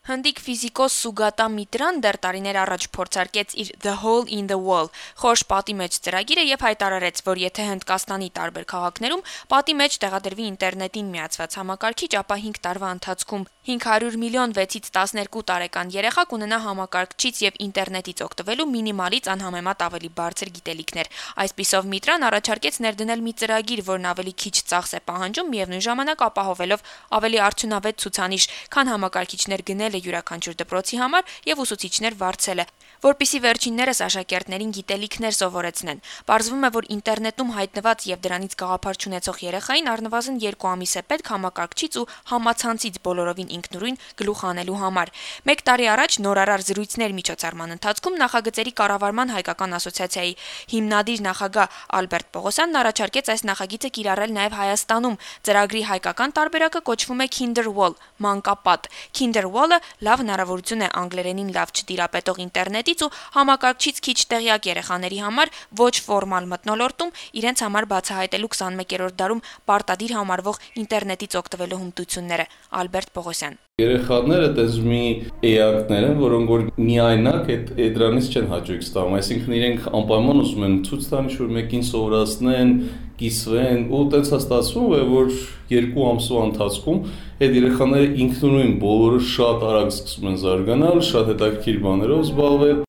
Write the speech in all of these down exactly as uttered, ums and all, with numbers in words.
Հնդիկ ֆիզիկոս Սուգատա Միտրան դեռ տարիներ առաջ փորձարկեց իր The Hole in the Wall խորշ պատի մեջ ծրագիրը եւ հայտարարեց, որ եթե Հնդկաստանի տարբեր քաղաքներում պատի մեջ տեղադրվի ինտերնետին միացված համակարգիչ, ապա հինգ տարվա ընթացքում հինգ հարյուր միլիոն վեցից տասներկու տարեկան երեխա կունենա համակարգչից եւ ինտերնետից օգտվելու մինիմալից անհամեմատ ավելի բարձր գիտելիքներ։ Այսպիսով Միտրան առաջարկեց ներդնել մի ծրագիր, որն ավելի քիչ ծախս է պահանջում, միևնույն ժամանակ ապահովելով ավելի արդյունավետ ցուցանիշ, քան համակարգիչներ գնել յուրաքանչյուր դպրոցի համար եւ ուսուցիչներ վարձելը, որպիսի վերջիններս աշակերտներին գիտելիքներ սովորեցնեն։ Պարզվում է, որ ինտերնետում հայտնված եւ դրանից գաղափար չունեցող երեխային առնվազն երկու ամիս է պետք համակարգչից ու համացանցից բոլորովին ինքնուրույն գլուխ անելու համար։ Մեկ տարի առաջ նորարար զրույցներ միջոցառման ընթացքում նախագծերի կառավարման հայկական ասոցիացիայի հիմնադիր նախագահ Ալբերտ Պողոսյանն առաջարկեց այս նախագիծը կիրառել նաեւ Հայաստանում։ Ծրագրի հայկական տարբերակը կոչվում է Kinderwall, մանկապատ։ Kinderwall-ը լավ հնարավորություն է անգլերենին լավ չտիրապետող ինտերնետից ու համակարգչից քիչ տեղյակ երեխաների համար ոչ ֆորմալ մթնոլորտում իրենց համար բացահայտելու քսանմեկերորդ դարում պարտադիր համարվող ինտերնետից օգտվելու հմտությունները։ Ալբերտ Պողոսյան. Երեխաները դες մի էակներ են, որոնք որ միայնակ այդ դրանից չեն հաճույք ստանում, այսինքն իրենք անպայման ուզում են ցույց տան, ինչ որ մեկին սովորացնեն, կիսվեն, ու տենց ստացվում է, որ երկու ամսվա ընթացքում այդ երեխաները ինքնուրույն բոլորը շատ արագ սկսում են զարգանալ, շատ հետաքրքիր բաներով զբաղվել։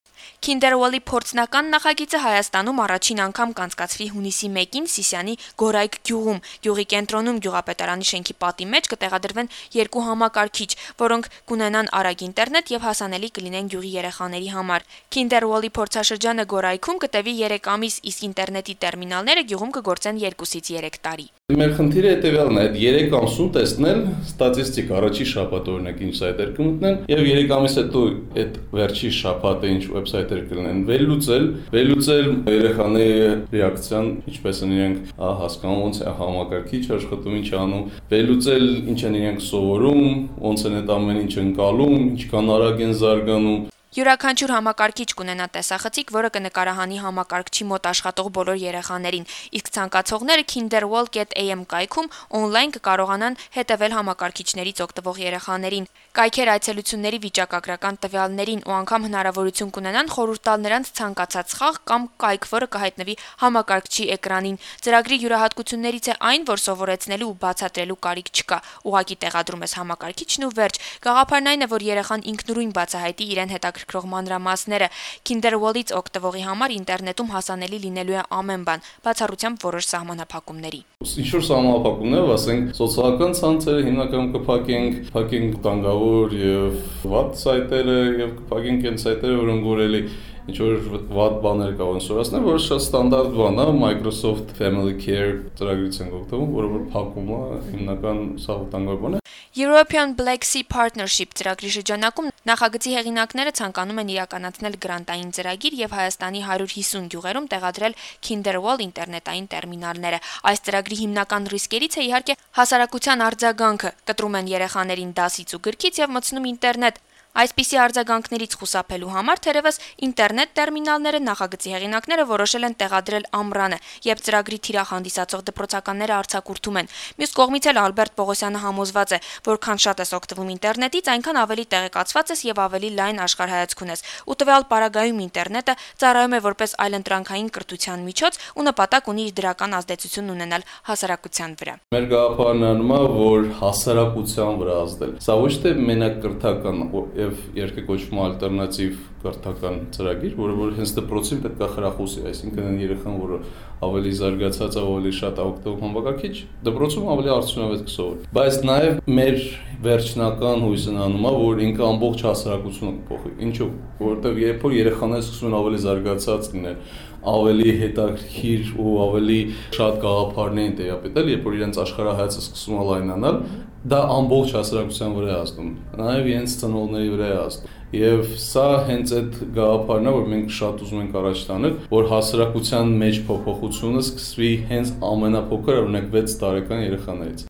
Kinderwall-ի փորձնական նախագիծը Հայաստանում առաջին անգամ կանցկացվի հունիսի մեկին Սիսիանի Գորայք գյուղում։ Գյուղի կենտրոնում գյուղապետարանի շենքի պատի մեջ կտեղադրվեն երկու համակարգիչ, որոնք կունենան արագ ինտերնետ եւ հասանելի կլինեն գյուղի երեխաների համար։ Kinderwall-ի փորձաշրջանը Գորայքում կտևի երեք ամիս, իսկ ինտերնետի տերմինալները գյուղում կգործեն երկուսից երեք տարի։ Մեր խնդիրը հետեւյալն է, այդ երեք ամսում տեսնել ստատիստիկ առաջի շաբաթ օրինակ ինչ սայթեր կմտնեն եւ երեք ամիս հետո այդ վերջի շաբաթը ինչ վեբսայթեր կլինեն, վերլուծել, վերլուծել երեխաների ռեակցիան, ինչպես են իրենք հասկանում, ոնց է համակարգիչ աշխատում, ինչ անում, վերլուծել ինչ են իրենք սովորում, ոնց են այդ ամեն ինչ ընկալում, ինչքան արագ են զարգանում։ Յուրաքանչյուր համակարգիչ կունենա տեսախցիկ, որը կնկարահանի համակարգչի մոտ աշխատող բոլոր երեխաներին, իսկ ցանկացողները kinderwall dot a m կայքում on-line կկարողանան հետևել համակարգիչներից օգտվող երեխաներին։ Կայքեր այցելությունների վիճակագրական տվյալներին ու անգամ հնարավորություն կունենան խորհուրդ տալ նրանց ցանկացած խաղ կամ կայք, որը կհայտնվի համակարգչի էկրանին։ Ծրագրի յուրահատկություններից է այն, որ սովորեցնելու ու բացատրելու կարիք չկա։ Ուղղակի տեղադրում ես համակարգիչն ու վերջ։ Գաղափարն այն է, որ երեխան ինքնուրույն բացահայտի իրեն հետաքրքրող մանրամասները։ Kinderwall-ից օգտվողի համար ինտերնետում հասանելի լինելու է ամեն բան, բացառությամբ որոշ սահմանափակումների։ Ինչ-որ սահմանափակումներ, ասենք, սոցիալական ցանցերը հիմնականում կփակենք, փակենք տանգավոր եւ վատ սայթերը եւ կփակենք այն սայթերը, որոնք որելի ինչ որ վատ բաներ կարող են սորացնել, որը շատ ստանդարտ բան է, Microsoft Family Care ծրագրից են օգտվում, որը որ փակում է, հիմնական սա վտանգավոր բան է։ European Black Sea Partnership ծրագրի շրջանակում նախագծի հեղինակները ցանկանում են իրականացնել գրանտային ծրագիր եւ Հայաստանի հարյուր հիսուն գյուղերում տեղադրել Kinderwall ինտերնետային տերմինալները։ Այս ծրագրի հիմնական ռիսկերից է իհարկե հասարակության արձագանքը, կտրում են երեխաներին դասից ու գրքից եւ մտցնում ինտերնետ։ Այսպիսի արձագանքներից խուսափելու համար թերևս ինտերնետ տերմինալները նախագծի հեղինակները որոշել են տեղադրել ամռանը, երբ ծրագրի թիրախ հանդիսացող դպրոցականները արձակուրդում են։ Մյուս կողմից էլ Ալբերտ Պողոսյանը համոզված է, որքան շատ ես օգտվում ինտերնետից, այնքան ավելի տեղեկացված ես եւ ավելի լայն աշխարհայացք ունես։ Ու տվյալ պարագայում ինտերնետը ծառայում է որպես այլընտրանքային կրթության միջոց ու նպատակ ունի իր դրական ազդեցություն ունենալ հասարակության վրա։ Մեր գաղափարն անում է, որ հասարակության վրա ազդել։ Սա ոչ թե մենակ կրթական եւ երկը կոչվում ալտերնատիվ կրթական ծրագիր, որը որ հենց դպրոցին պետք է խրախուսի, այսինքն այն երեխան, որը ավելի զարգացած է, ավելի շատ օգտվում համակարգիչ, դպրոցում ավելի արդյունավետ կսովորի։ Բայց նաեւ մեր վերջնական հույսն անում է, որ ինքը ամբողջ հասարակությունը կփոխի։ Ինչու՞, որովհետեւ երբ որ երեխաները սկսում են ավելի զարգացած լինել, ավելի հետաքրքիր ու ավելի շատ գաղափարներ են տեղափոխել, երբ որ իրենց աշխարհայացքը սկսում է լայնանալ, դա ամբողջ հասարակության վրա է ազդում, նաև իրենց ծնողների վրա է ազդում։ Եվ սա հենց այդ գաղափարն է, որ մենք շատ ուզում ենք առաջ տանել, որ հասարակության մեջ փոփոխությունը սկսվի հենց ամենափոքր, օրինակ վեց տարեկան երեխաներից։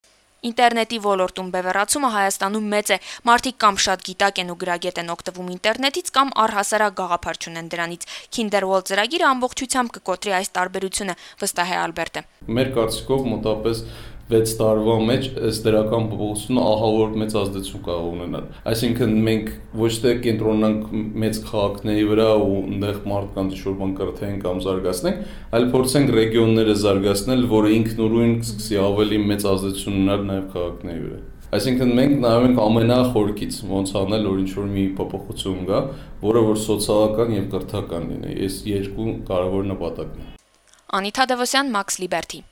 Ինտերնետի ոլորտում բևեռացումը Հայաստանում մեծ է։ Մարդիկ կամ շատ գիտակ են ու գրագետ են օգտվում ինտերնետից, կամ առհասարակ գաղափար չունեն դրանից։ Kinderwall ծրագիրը ամբողջությամբ կկոտրի այս տարբերությունը, վստահ է Ալբերտը։ Մեր կարծիքով մոտավորապես վեց տարվա մեջ այս դրական փոփոխությունը ահավոր մեծ ազդեցություն կարող ունենալ։ Այսինքն մենք ոչ թե կենտրոնանանք մեծ քաղաքների վրա ու այնտեղ մարդկանց ինչ-որ բան կրթենք կամ զարգացնենք, այլ փորձենք ռեգիոնները զարգացնել, որը ինքնուրույն սկսի ավելի մեծ ազդեցություն ունենալ նաև քաղաքների վրա։ Այսինքն մենք նայում ենք ամենախորքից ոնց անել, որ ինչ-որ մի փոփոխություն գա, որը որ սոցիալական եւ կրթական լինի։ Այս երկու կարևոր նպատակն են։ Անիթա Դևոսյան, Max Liberty։